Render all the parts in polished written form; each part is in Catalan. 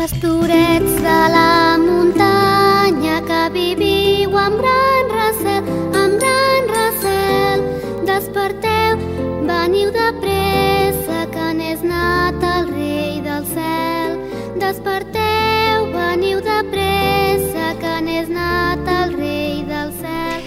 Pastorets de la muntanya que viviu amb gran recel, desperteu, veniu de pressa que n'és nat el rei del cel. Desperteu, veniu de pressa que n'és nat el rei del cel.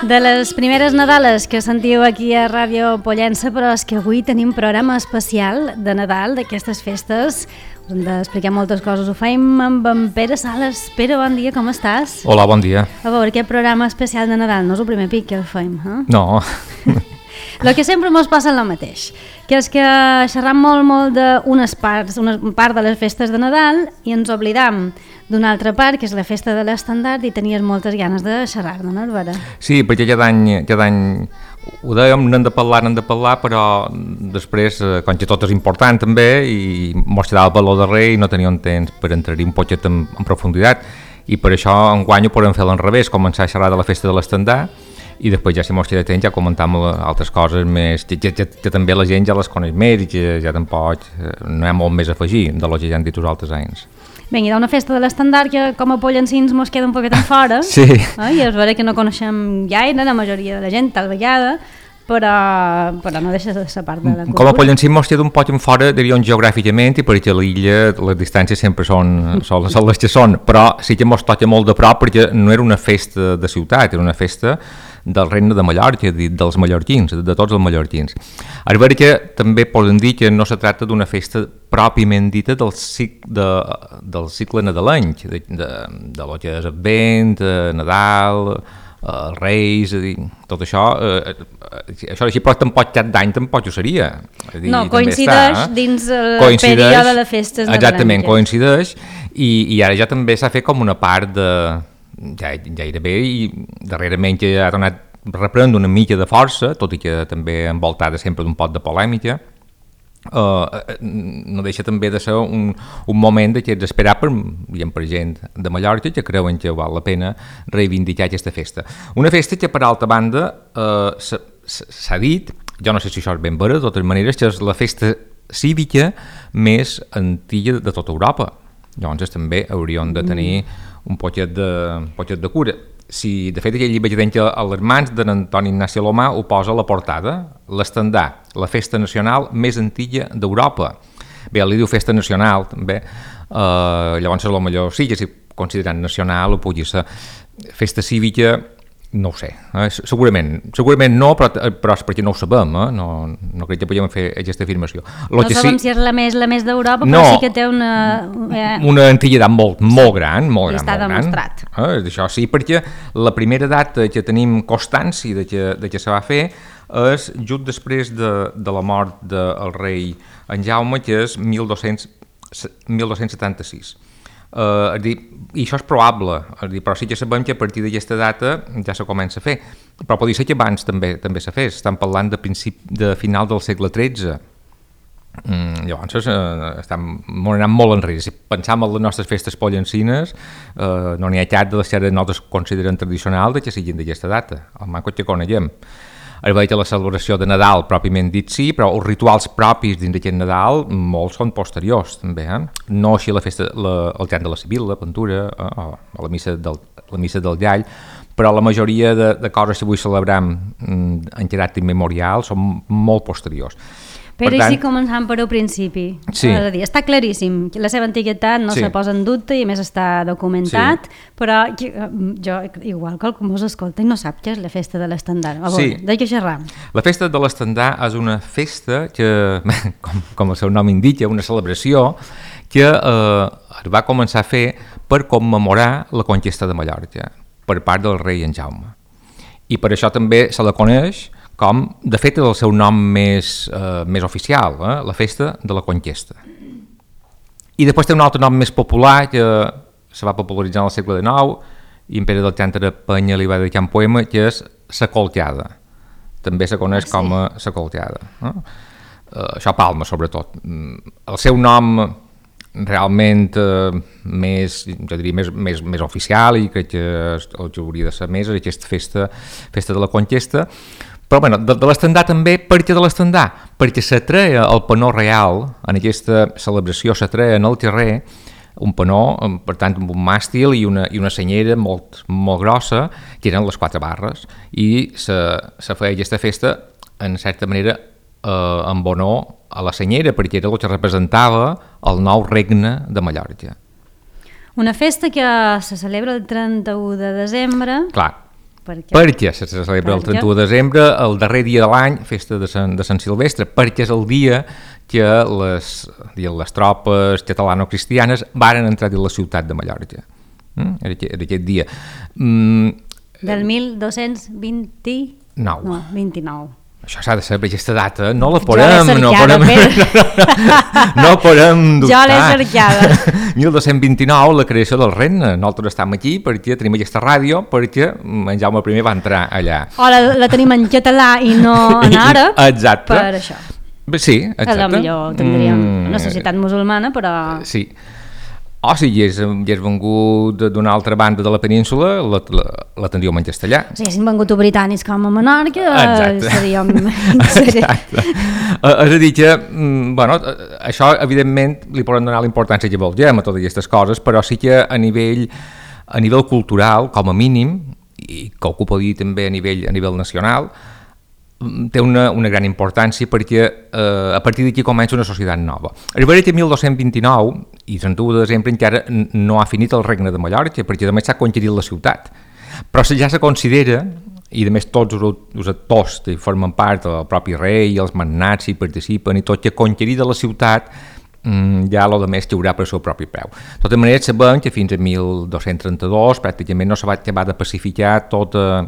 De les primeres Nadales que sentiu aquí a Ràdio Pollença, però és que avui tenim programa especial de Nadal, d'aquestes festes. Us hem d'explicar moltes coses. Ho faim amb en Pere Sales. Pere, bon dia, com estàs? Hola, bon dia. A veure, aquest programa especial de Nadal no és el primer pic que el faim, eh? No. El que sempre mos passa el mateix, que és que xerram molt d'unes parts, una part de les festes de Nadal i ens oblidam d'una altra part, que és la festa de l'estandard, i tenies moltes ganes de xerrar-ne, no, Albera? Sí, perquè cada any ho dèiem, n'hem de parlar, però després, com que tot és important també, i mos quedava per lo darrer i no teníem temps per entrar-hi un poquet en profunditat, i per això enguany ho podem fer a l'enrevés, començar a xerrar de la festa de l'estandard, i després ja si mos queda temps ja comentam altres coses més, que també la gent ja les coneix més i que ja tampoc no hi ha molt més a afegir de lo que ja han dit els altres anys. Bé, hi ha una festa de l'estandard que com a pollencins mos queda un poquet en fora. Sí. I és vera que no coneixem gaire, la majoria de la gent, tal vegada, però no deixa de ser part de la cultura. Com a pollencins mos queda un poc en fora, diríem, geogràficament, i perquè a l'illa les distàncies sempre són les que són, però sí que mos toca molt de prop perquè no era una festa de ciutat, era una festa del regne de Mallorca, dels mallorquins, de tots els mallorquins. És vera que també podem dir que no se tracta d'una festa pròpiament dita del cicle nadalenc, de lo que és Advent, Nadal, els Reis, tot això, així però tampoc cap d'any tampoc ho seria. No, coincideix dins el període de festes nadalenques. Exactament, coincideix, i ara ja també s'ha fet com una part de gairebé, i darrerament que ha tornat a reprendre una mica de força, tot i que també envoltada sempre d'un pot de polèmica, no deixa també de ser un moment que ets esperat per gent de Mallorca que creuen que val la pena reivindicar aquesta festa. Una festa que, per altra banda, s'ha dit, jo no sé si això és ben vera, de totes maneres, que és la festa cívica més antiga de tota Europa. Llavors també hauríem de tenir un poquet de cura. Si, de fet, aquell llibre que deia a les mans d'Antoni Ignaci Alomà ho posa a la portada, l'estandard, la festa nacional més antiga d'Europa. Bé, li diu festa nacional, també, llavors potser sí que si considerant nacional ho pugui ser. Festa cívica, no ho sé, segurament no, però és perquè no ho sabem, no crec que podem fer aquesta afirmació. No sabem si és la més d'Europa, no, però sí que té una antiguitat molt gran. I està demostrat. Això sí, perquè la primera data que tenim constància de que se va fer és just després de la mort del rei en Jaume, que és 1276. I això és probable, però sí que sabem que a partir d'aquesta data ja se comença a fer, però pot ser que abans també se fes. Estan parlant de final del segle XIII. Llavors estem anant molt enrere. Si pensam en les nostres festes pollencines, no n'hi ha cap de les que nosaltres considerem tradicionals que siguin d'aquesta data, almenys que coneguem. És veritat que la celebració de Nadal pròpiament dit sí, però els rituals propis dins d'aquest Nadal molts són posteriors també, no així la festa, el cant de la Sibil·la, la Ventura, o la missa del Llall, però la majoria de coses que avui celebrem en caràcter immemorial són molt posteriors. Però tant, sí, començant per al principi. Sí. És a dir, està claríssim que la seva antiguitat no se posa en dubte i a més està documentat, però jo, igual que algú mos escolta i no sap què és la festa de l'estandard. De què xerram? La festa de l'estandard és una festa que, com el seu nom indica, una celebració que es va començar a fer per commemorar la conquesta de Mallorca per part del rei en Jaume. I per això també se la coneix com, de fet, és el seu nom més oficial, la festa de la conquesta. I després té un altre nom més popular que se va popularitzar al segle XIX i en Pere d'Alcántara Penya li va dedicar un poema, que és la colteada. També se coneix com a la colteada. Això a Palma, sobretot. El seu nom realment més oficial, i crec que el que hauria de ser més, és aquesta festa de la conquesta. Però bueno, de l'estandard també, per què de l'estandard? Perquè s'atreia el panó real, en aquesta celebració s'atreia en el carrer un panó, per tant, amb un màstil i una senyera molt, molt grossa, que eren les 4 barres, i se feia aquesta festa, en certa manera, en honor a la senyera, perquè era el que representava el nou regne de Mallorca. Una festa que se celebra el 31 de desembre. Clar, perquè se celebra el 31 de desembre, el darrer dia de l'any, festa de Sant Silvestre, perquè és el dia que les tropes catalano-cristianes varen entrar a la ciutat de Mallorca. Era aquest dia. Del 1229. No, 29. Això s'ha de saber, aquesta data, no la podem dubtar. Jo l'he cercada. 1229, la creació del regne. Nosaltres estem aquí perquè tenim aquesta ràdio, perquè en Jaume I va entrar allà. O la tenim en català i no en àrab, exacte. Per això. Sí, exacte. A millor tindríem una societat musulmana, però... Sí. O si hi és vengut d'una altra banda de la península, la tindríem en castellà. Si haguessin vengut britànics com a Menorca, seríem... Exacte. És a dir que, això evidentment li podem donar la importància que vulguem a totes aquestes coses, però sí que a nivell cultural, com a mínim, i que ho puc dir també a nivell nacional, té una gran importància perquè a partir d'aquí comença una societat nova. Arribaré que 1229 i 31 de desembre encara no ha finit el regne de Mallorca, perquè també s'ha conquerit la ciutat, però ja se considera, i a més tots els actors que formen part del propi rei, els magnats hi participen i tot, que conquerida la ciutat ja el més caurà per seu propi peu. De tota manera sabem que fins a 1232 pràcticament no se va acabar de pacificar tota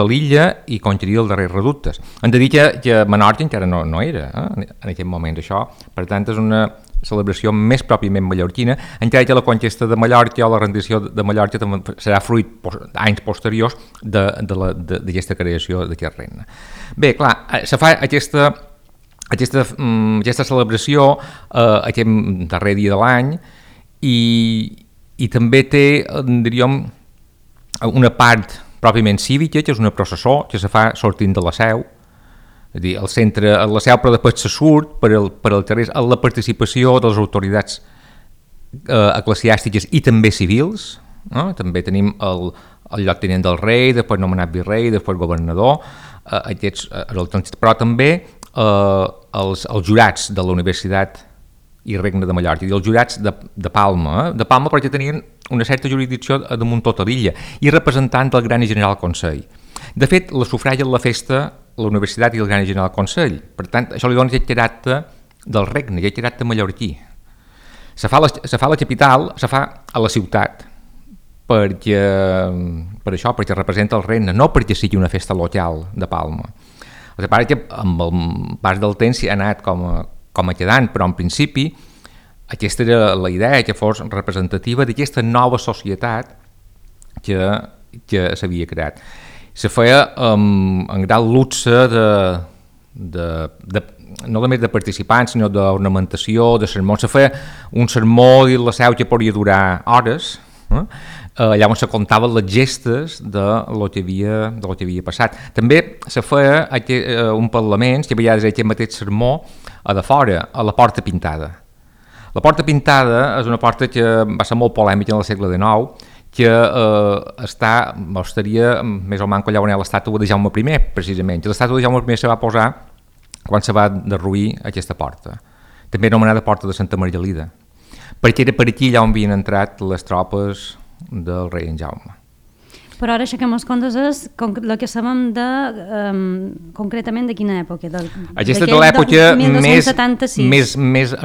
l'illa i conquerir els darrers reductes. Hem de dir que Menorca encara no era en aquest moment això, per tant és una celebració més pròpiament mallorquina, encara que la conquesta de Mallorca o la rendició de Mallorca també serà fruit anys posteriors d'aquesta creació d'aquest regne. Bé, clar, se fa aquesta celebració aquest darrer dia de l'any i també té, diríem, una part pròpiament cívica, que és una processó que se fa sortint de la Seu, és a dir, el centre a la Seu, però després se surt per al carrer, a la participació de les autoritats eclesiàstiques i també civils, no? També tenim el lloctinent del rei, després nomenat virrei, després governador, però també els jurats de la Universitat i Regne de Mallorca, i els jurats de Palma, de Palma perquè tenien una certa jurisdicció damunt tota l'illa, i representant del Gran i General Consell. De fet, la sufragen la festa la Universitat i el Gran i General Consell, per tant, això li dona aquest caràcter del regne, aquest caràcter mallorquí. Se fa a la capital, se fa a la ciutat, per això, perquè representa el regne, no perquè sigui una festa local de Palma. El que passa que amb el pas del temps ha anat com a quedant, però en principi aquesta era la idea, que fos representativa d'aquesta nova societat que s'havia creat. Se feia en gran luxe no només de participants, sinó d'ornamentació, de sermons. Se feia un sermó i la Seu que podria durar hores, allà on se contaven les gestes de lo que havia passat. També se feia un parlament, que a vegades era aquest mateix sermó, a de fora, a la Porta Pintada. La Porta Pintada és una porta que va ser molt polèmica en el segle XIX, que estaria més o menys allà on hi ha l'estàtua de Jaume I, precisament. L'estàtua de Jaume I se va posar quan se va derruir aquesta porta, també anomenada Porta de Santa Margalida, perquè era per aquí allà on havien entrat les tropes del rei en Jaume. Però ara aixequem els comptes és el que sabem concretament de quina època? Aquesta és l'època més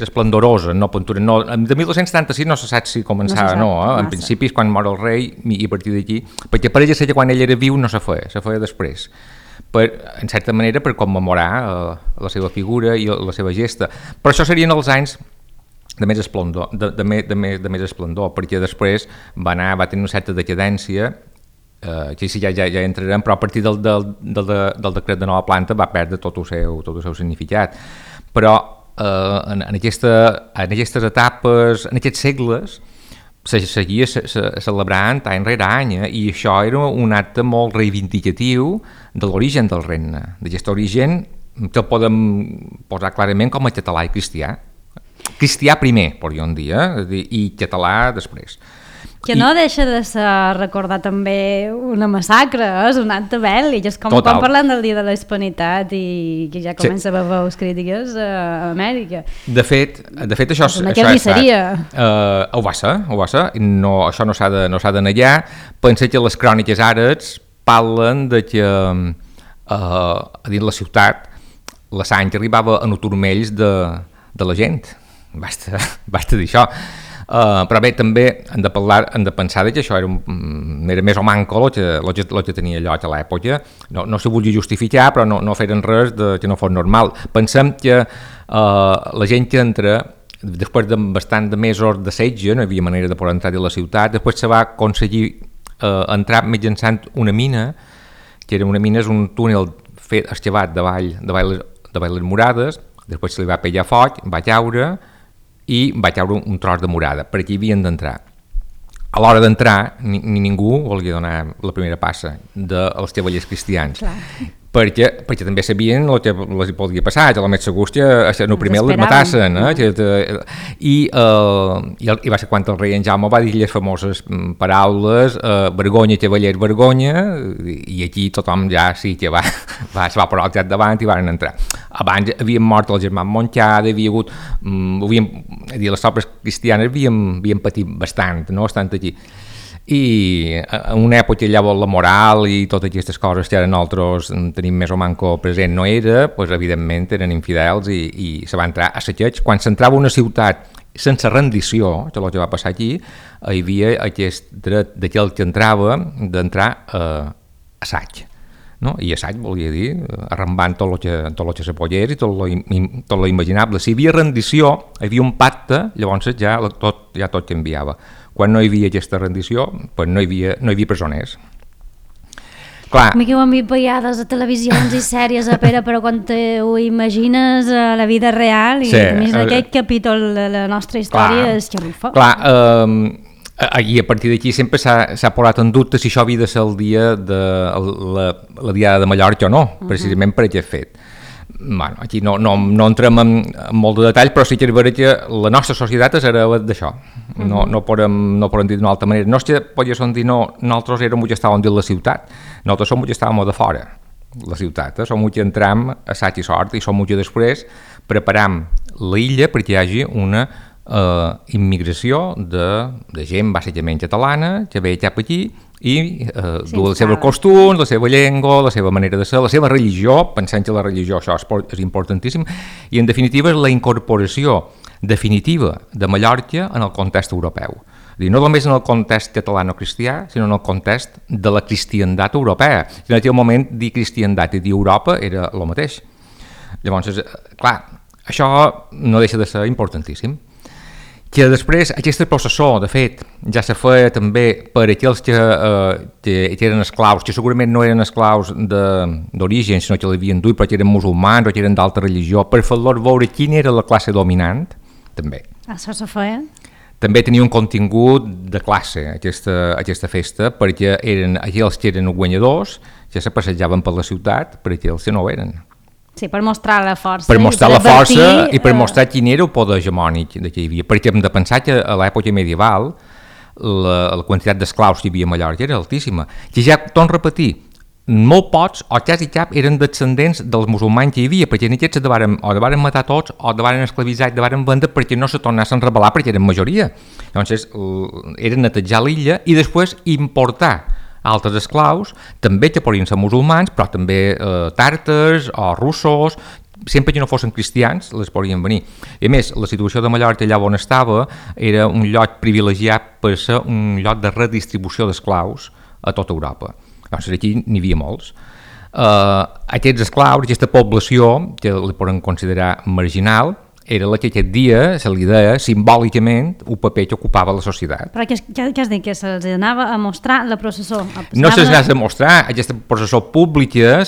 esplendorosa, no pintura. No, de 1276 no se sap si començava, en principi és quan mor el rei i a partir d'aquí, perquè pareix ser que quan ell era viu no se feia després. En certa manera per commemorar la seva figura i la seva gesta. Però això serien els anys de més esplendor, perquè després va tenir una certa decadència, que sí, ja entrarem, però a partir del decret de nova planta va perdre tot el seu significat. Però en aquestes etapes, en aquests segles, se seguia celebrant any rere any, i això era un acte molt reivindicatiu de l'origen del regne, d'aquest origen que el podem posar clarament com a català i cristià cristià primer, podríem dir, i català després. Que no deixa de ser recordar també una massacre, és un acte bèl·lic, és com quan parlem del Dia de la Hispanitat i que ja comença a haver veus crítiques a Amèrica. De fet això és ho va ser, no, això no s'ha de negar. Pensa que les cròniques àrabs parlen de que a dins la ciutat la sang arribava a turmells de la gent, basta dir això. Però bé, també hem de pensar que això era més o manco el que tenia lloc a l'època. No s'ho volia justificar, però no feren res que no fos normal. Pensem que la gent que entra, després de bastant de mesos de setge, no hi havia manera de poder entrar a la ciutat, després se va aconseguir entrar mitjançant una mina, que era una mina, és un túnel fet excavat davall les murades, després se li va pegar foc, va caure i va caure un tros de murada, per aquí havien d'entrar. A l'hora d'entrar, ningú volia donar la primera passa dels cavallers cristians, perquè també sabien el que els podia passar, que a la més segur que el primer les matassen, i va ser quan el rei en Jaume va dir les famoses paraules vergonya, cavallers, vergonya, i aquí tothom ja sí que va posar el cap davant i van entrar. Abans havien mort el germà Montcada, les tropes cristianes havien patit bastant, no? Estant aquí. I en una època llavors la moral i totes aquestes coses que ara nosaltres tenim més o manco present no era, doncs evidentment eren infidels i se va entrar a saqueig. Quan s'entrava a una ciutat sense rendició, que el que va passar aquí, hi havia aquest dret d'aquell que entrava d'entrar a assaig. No? I assaig volia dir arrambant tot el que se pogués i tot lo imaginable. Si hi havia rendició, hi havia un pacte, llavors ja tot canviava. Quan no hi havia aquesta rendició, doncs no hi havia presoners. Clar. A mi que ho han vist vegades a televisions i sèries, però quan ho imagines a la vida real i aquest capítol de la nostra història és xerrufa. Clar, i a partir d'aquí sempre s'ha posat en dubte si això havia de ser el dia de la Diada de Mallorca o no, precisament per aquest fet. Bueno, aquí no entrem en molt de detall, però sí que és vera que la nostra societat és hereva d'això. No podem dir d'una altra manera. No és que podríem dir nosaltres érem que estàvem dins la ciutat, nosaltres som que estàvem de fora la ciutat, som que entram a sac i sort i som que després preparam l'illa perquè hi hagi una immigració de gent bàsicament catalana que ve cap aquí i du els seus costums, la seva llengua, la seva manera de ser, la seva religió, pensant que la religió això és importantíssim, i en definitiva és la incorporació definitiva de Mallorca en el context europeu. No només en el context catalano-cristià, sinó en el context de la cristiandat europea. En aquell moment dir cristiandat i dir Europa era el mateix. Llavors, clar, això no deixa de ser importantíssim. Que després aquest processó, de fet, ja se feia també per aquells que eren esclaus, que segurament no eren esclaus d'origen, sinó que l'havien duit, però que eren musulmans o que eren d'altra religió, per fer-los veure quina era la classe dominant, també. Això se feia? També tenia un contingut de classe, aquesta festa, perquè eren aquells que eren guanyadors, que se passejaven per la ciutat, per aquells que no ho eren. Sí, per mostrar la força. Per mostrar la força i per mostrar quin era el poder hegemònic que hi havia. Perquè hem de pensar que a l'època medieval la quantitat d'esclaus que hi havia a Mallorca era altíssima. Que ja, torno a repetir, molt pocs o quasi cap eren descendents dels musulmans que hi havia, perquè aquests o de matar tots o de esclavitzar i de vendre perquè no se tornessin a rebel·lar perquè eren majoria. Llavors era netejar l'illa i després importar altres esclaus, també que podien ser musulmans, però també tàrtars o russos, sempre que no fossin cristians, les podien venir. I a més, la situació de Mallorca allà on estava era un lloc privilegiat per ser un lloc de redistribució d'esclaus a tota Europa. Llavors aquí n'hi havia molts. Aquests esclaus, aquesta població, que la podem considerar marginal, era la que aquest dia se li deia simbòlicament un paper que ocupava la societat. Però què has dit? Que se'ls anava a mostrar la processó? No se'ls anava a mostrar, aquesta processó pública,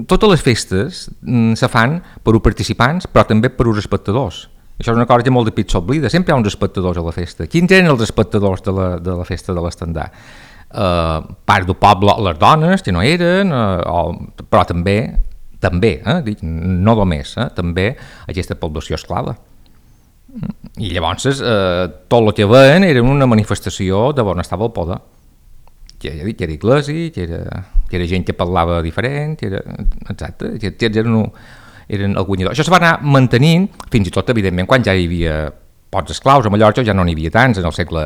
totes les festes se fan per uns participants, però també per uns espectadors. Això és una cosa que molt de pit s'oblida, sempre hi ha uns espectadors a la festa. Quins eren els espectadors de la festa de l'estendard? Part del poble, les dones, que no eren, però també, no només, també aquesta població esclava. I llavors tot el que veien era una manifestació de on estava el poder. Que era iglesia, que era gent que parlava diferent, exacte, que eren el guanyador. Això se va anar mantenint fins i tot, evidentment, quan ja hi havia pocs esclaus a Mallorca, ja no n'hi havia tants, en el segle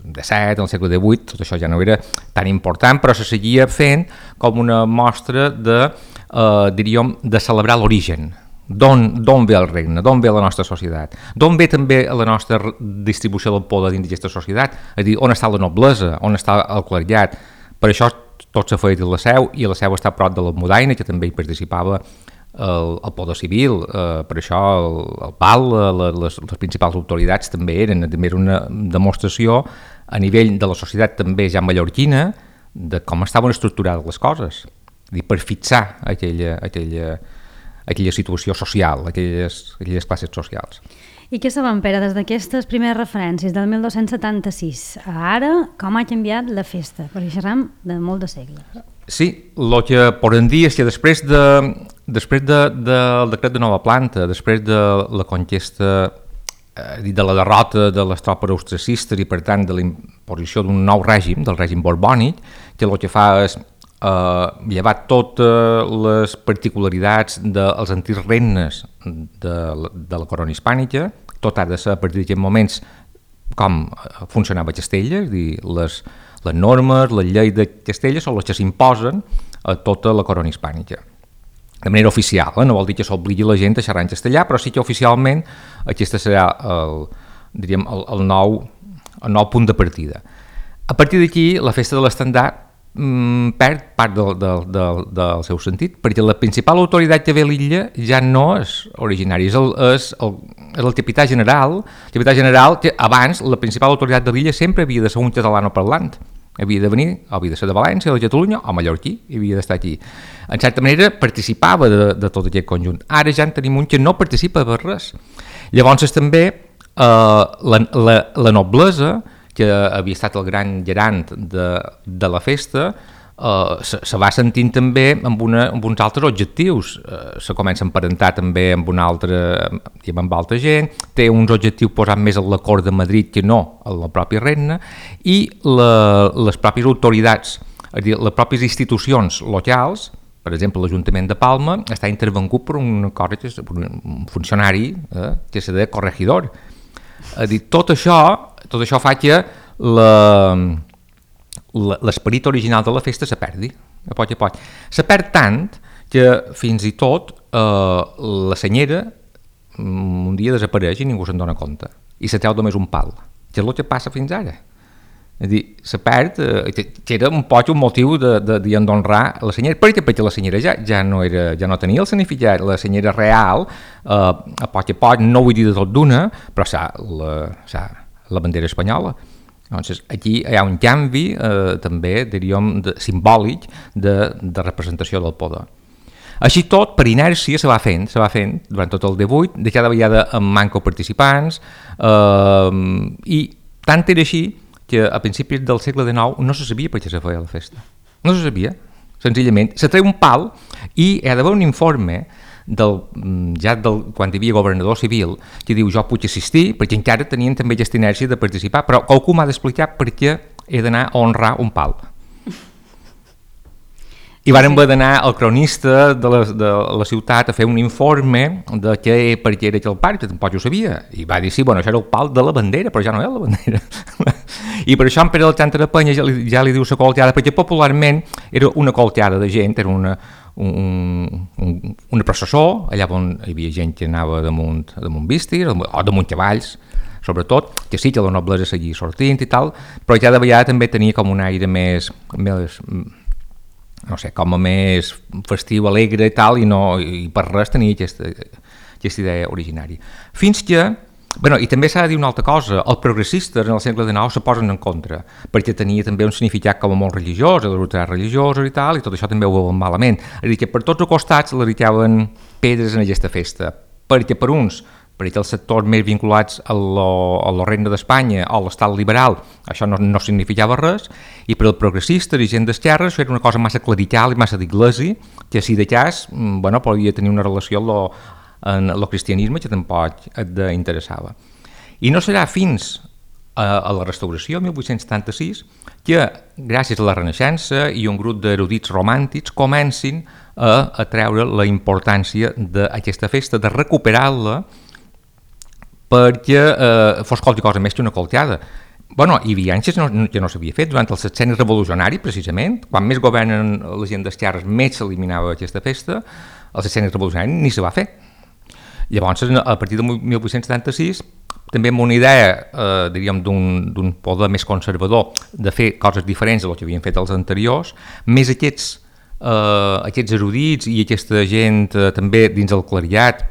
XVII, en el segle XVIII, tot això ja no era tan important, però se seguia fent com una mostra diríem, de celebrar l'origen. D'on ve el regne, d'on ve la nostra societat, d'on ve també la nostra distribució del poder dins d'aquesta societat, és a dir, on està la noblesa, on està el clergat. Per això tot s'ha fet a la Seu, i la Seu està a prop de l'Almudaina, que també hi participava el poder civil, per això el PAL, les principals autoritats també era una demostració a nivell de la societat també ja mallorquina de com estaven estructurades les coses, és a dir, per fixar aquella situació social, aquelles classes socials. I què saben, Pere, des d'aquestes primeres referències del 1276 a ara, com ha canviat la festa? Perquè xerram de molt de segles. Sí, el que podem dir és que després del decret de nova planta, després de la conquesta, de la derrota de les tropes austriacistes i per tant de la imposició d'un nou règim, del règim borbònic, que el que fa és llevar totes les particularitats dels antics regnes de la corona hispànica, tot ha de ser a partir d'aquests moments com funcionava Castella, és a dir, les normes, les lleis de Castella són les que s'imposen a tota la corona hispànica. De manera oficial, no vol dir que s'obligui la gent a xerrar en castellà, però sí que oficialment aquest serà el nou punt de partida. A partir d'aquí, la festa de l'estendard perd part del seu sentit, perquè la principal autoritat que ve a l'illa ja no és originari, és el capità general. El capità general que abans la principal autoritat de l'illa sempre havia de ser un catalano parlant, havia de ser de València, de Catalunya o mallorquí, havia d'estar aquí. En certa manera participava de tot aquest conjunt. Ara ja en tenim un que no participa de res. Llavors també la noblesa, que havia estat el gran garant de la festa, se va sentint també amb uns altres objectius. Se comença a emparentar també amb altra gent, té uns objectius posats més a la cort de Madrid que no a la pròpia regne, i les pròpies autoritats, és a dir, les pròpies institucions locals, per exemple l'Ajuntament de Palma, està intervengut per un funcionari que se deia corregidor. És a dir, tot això fa que l'esperit original de la festa se perdi, a poc a poc. Se perd tant que fins i tot la senyera un dia desapareix i ningú se'n dona compte, i se treu només un pal, que és el que passa fins ara. És a dir, se perd, que era un poc un motiu d'honrar la senyera, perquè la senyera ja no tenia el significat. La senyera real, a poc no vull dir de tot d'una, però la bandera espanyola. Llavors, aquí hi ha un canvi també, diríem, simbòlic de representació del poder. Així tot, per inèrcia, se va fent durant tot el 18, de cada vegada amb manco participants, i tant era així que a principis del segle XIX no se sabia per què se feia la festa. No se sabia, senzillament. Se treu un pal i hi ha d'haver un informe quan hi havia governador civil que diu jo puc assistir, perquè encara tenien també aquesta inèrcia de participar, però qualcú m'ha d'explicar per què he d'anar a honrar un pal. I vàrem haver d'anar al cronista de la ciutat a fer un informe de per què era aquell pal, que tampoc ho sabia. I va dir, sí, això era el pal de la bandera, però ja no era la bandera. I per això en Pere Alexandre de Penya ja li diu la colteada, perquè popularment era una colteada de gent, era una processó, allà on hi havia gent que anava damunt vístir, o damunt cavalls, sobretot, que sí que la noblesa seguia sortint i tal, però cada vegada també tenia com un aire més no sé, com a més festiu, alegre i tal, i per res tenia aquesta idea originària. Fins que, i també s'ha de dir una altra cosa, els progressistes en el segle XIX se posen en contra, perquè tenia també un significat com a molt religiós, les autoritats religioses i tal, i tot això també ho veuen malament. És a dir, que per tots els costats li ricaven pedres en aquesta festa, perquè per uns, perquè els sectors més vinculats a la regne d'Espanya o a l'estat liberal, això no significava res, i per als progressistes i gent d'esquerra això era una cosa massa clerical i massa d'iglésia, que si de cas podia tenir una relació amb el cristianisme que tampoc et interessava. I no serà fins a la restauració, 1876, que gràcies a la Renaixença i un grup d'erudits romàntics comencin a treure la importància d'aquesta festa, de recuperar-la perquè fos qualque cosa més que una colteada. Bueno, hi havia anys que no s'havia fet, durant el sexenni revolucionari, precisament, quan més governen la gent d'esquerres, més s'eliminava aquesta festa, el sexenni revolucionari ni se va fer. Llavors, a partir de 1876, també amb una idea, diríem, d'un poder més conservador de fer coses diferents del que havien fet els anteriors, més aquests erudits i aquesta gent també dins el cleriat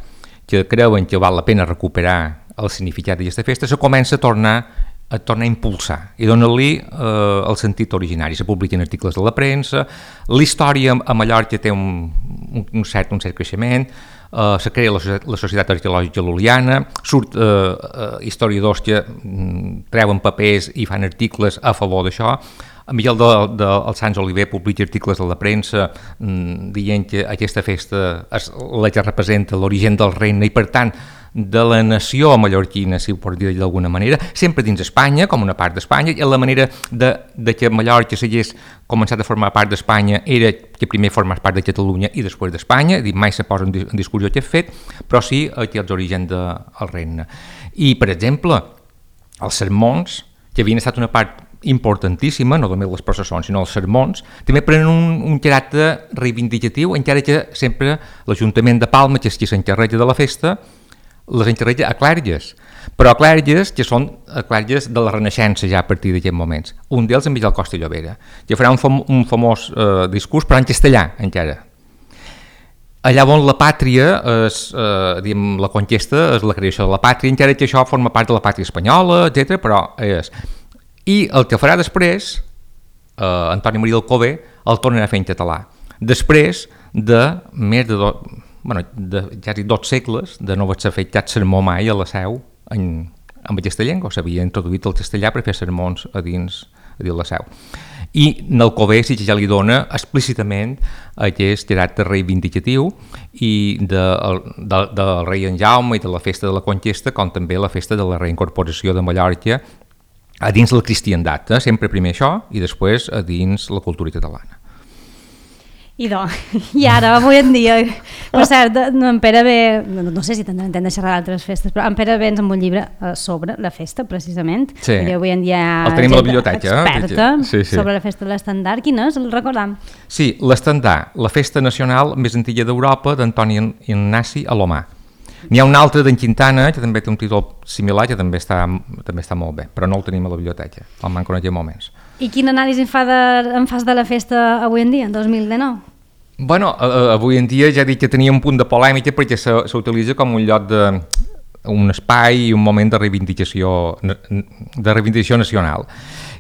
que creuen que val la pena recuperar el significat d'aquesta festa, se comença a tornar a impulsar i donar-li el sentit originari. Se publiquen articles de la premsa, la història a Mallorca té un cert creixement, se crea la Societat Arqueològica Lul·liana, surt historiadors que treuen papers i fan articles a favor d'això. Miguel del Sants Oliver publica articles a la premsa dient que aquesta festa és la que representa l'origen del regne i, per tant, de la nació mallorquina, si ho pot dir d'alguna manera, sempre dins Espanya, com una part d'Espanya, i la manera de que Mallorca s'hagués començat a formar part d'Espanya era que primer formés part de Catalunya i després d'Espanya, mai se posa en discussió aquest fet, però sí que els orígens del regne. I, per exemple, els sermons, que havien estat una part importantíssima, no només les processons, sinó els sermons, també prenen un caràcter reivindicatiu, encara que sempre l'Ajuntament de Palma, que és qui s'encarrega de la festa, les encarrega a clèrgues, però a clèrgues que són clèrgues de la Renaixença ja a partir d'aquests moments. Un d'ells en Miguel Costa i Llobera, que farà un famós discurs, però en castellà encara. Allà on la pàtria, la conquesta, és la creació de la pàtria, encara que això forma part de la pàtria espanyola, etc. però és... I el que farà després, Antoni Maria Alcover, el tornarà a fer en català. Després de més de ja dic 2 segles de no haver fet cap sermó mai a la Seu amb aquesta llengua, s'havia introduït el castellà per fer sermons a dins la Seu. I Alcover sí que ja li dona explícitament aquest caràcter reivindicatiu i del rei en Jaume i de la festa de la conquesta, com també la festa de la reincorporació de Mallorca a dins la cristiandat, sempre primer això i després a dins la cultura catalana. I ara, avui en dia, per cert, en Pere ve, no sé si tindrem temps de xerrar d'altres festes, però en Pere ve ens amb un llibre sobre la festa, precisament, perquè avui en dia el tenim a la biblioteca, experta sobre la festa de l'estandard. Quin és? El recordam? Sí, l'estandard, la festa nacional més antiga d'Europa d'Antoni Ignasi Alomà. N'hi ha un altre d'en Quintana, que també té un títol similar, que també està molt bé, però no el tenim a la biblioteca, el manco en aquests moments. I quin anàlisi en fas de la festa avui en dia, en 2019? Bueno, avui en dia ja dic que tenia un punt de polèmica perquè s'utilitza com un lloc un espai i un moment de reivindicació nacional.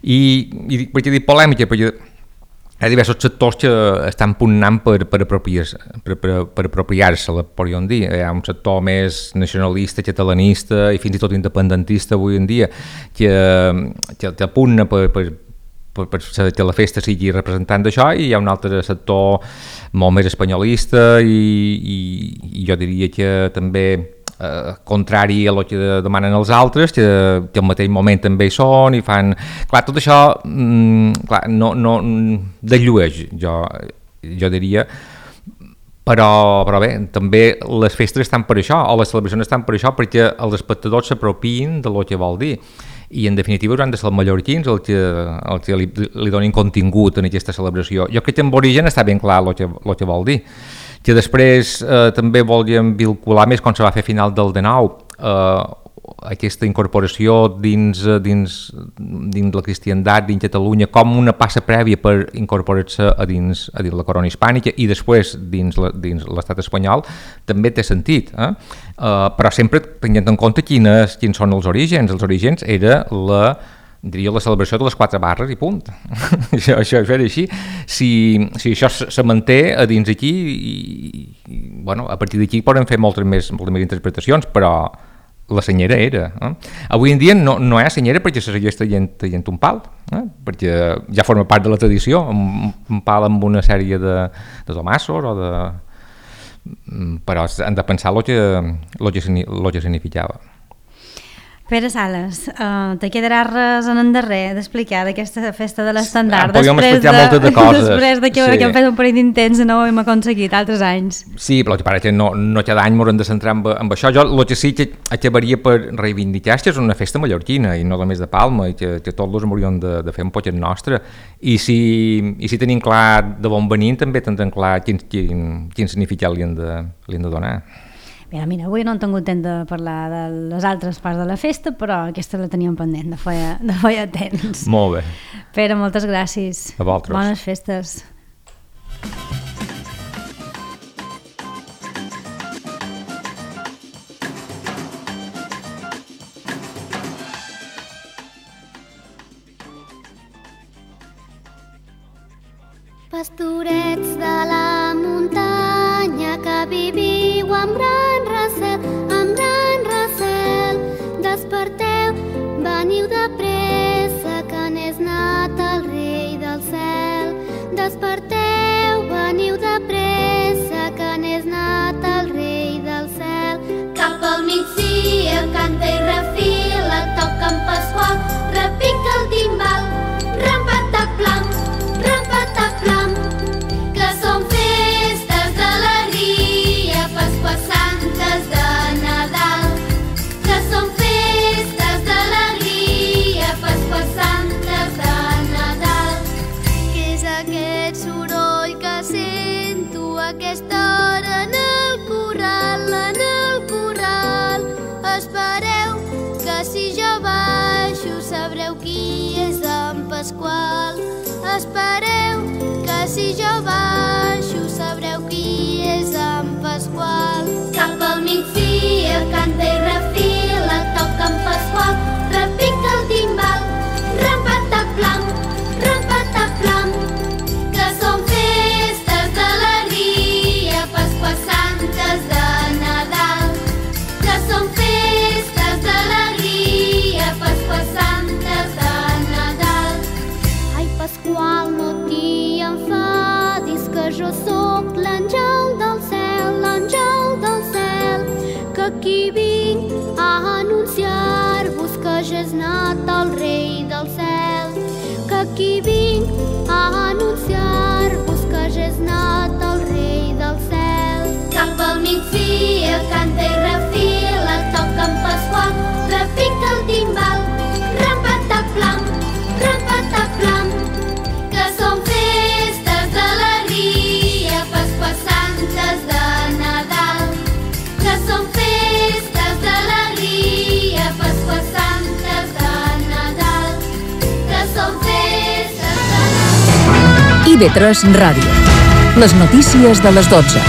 I per què dic polèmica? Perquè hi ha diversos sectors que estan pugnant per apropiar-se-la, podríem dir. Hi ha un sector més nacionalista, catalanista i fins i tot independentista avui en dia que pugna per que la festa sigui representant d'això, i hi ha un altre sector molt més espanyolista i jo diria que també contrari a el que demanen els altres, que al mateix moment també hi són i fan... Clar, tot això no desllueix, jo diria, però bé, també les festes estan per això, o les celebracions estan per això, perquè els espectadors s'apropien de lo que vol dir. I en definitiva hauran de ser els mallorquins el que li donin contingut en aquesta celebració. Jo crec que amb origen està ben clar el que vol dir, que després també volíem vincular més quan se va fer a final del 19 aquesta incorporació dins la cristiandat, dins Catalunya, com una passa prèvia per incorporar-se a dins la corona hispànica i després dins l'estat espanyol, també té sentit, però sempre tenint en compte quins són els orígens. Els orígens era la celebració de les 4 barres i punt. Això era així. Si això se manté a dins aquí, a partir d'aquí poden fer moltes més interpretacions, però la senyera era. Avui en dia no hi ha senyera perquè se segueix traient un pal, perquè ja forma part de la tradició, un pal amb una sèrie de tomassos però han de pensar el que significava. Pere Sales, te quedarà res en endarrer d'explicar d'aquesta festa de l'estandard podríem explicar moltes de coses. Després que hem fet un parell d'intents i no ho hem aconseguit altres anys. Sí, però el que no cada any m'haurem de centrar amb això. Jo el que sí que acabaria per reivindicar és que és una festa mallorquina i no només de Palma, i que tots m'hauríem de fer un poquet nostre, i si tenim clar de on venim també tindrem clar quin significat li hem de donar. Mira, avui no hem tingut temps de parlar de les altres parts de la festa, però aquesta la teníem pendent de feia temps. Molt bé. Pere, moltes gràcies. A vosaltres. Bones festes. Pastorets de la muntanya que viviu amb gran recel, desperteu, veniu de pressa que n'és nat el rei del cel. Desperteu, veniu de pressa que n'és nat el rei del cel. Cap al migdia canta i refila, toca en Pasqual, repica el timbal, rampataplam, rampataplam, que són festes d'alegria, Pasqua Santes de Nadal, que són festes d'alegria, Pasqua Santes de Nadal. Què és aquest soroll que sento a aquesta hora en el corral, en el corral? Espereu que si jo baixo sabreu qui és en Pasqual. Espereu que si jo baixo sabreu qui és en Pasqual. Cap al migdia canta i refila, toca en Pasqual, repica el timbal, rampataplam, rampataplam, que són festes d'alegria, Pasqua Santes de Nadal, que són festes d'alegria, Pasqua Santes de Nadal. Ai, Pasqual, no t'hi enfadis, que jo sóc l'àngel del cel, que aquí vinc a anunciar-vos que ja és nat el rei del cel, que aquí vinc a anunciar-vos que ja és nat el rei del cel. Cap al migdia canta i refila, toca en Pasqual, repica el timbal, rampataplam, rampataplam, que són festes d'alegria, Pasqua Santes de Nadal, que són festes d'alegria, Pasqua Santes de Nadal, que són festes d'alegria. IB3 Ràdio. Les notícies de les 12.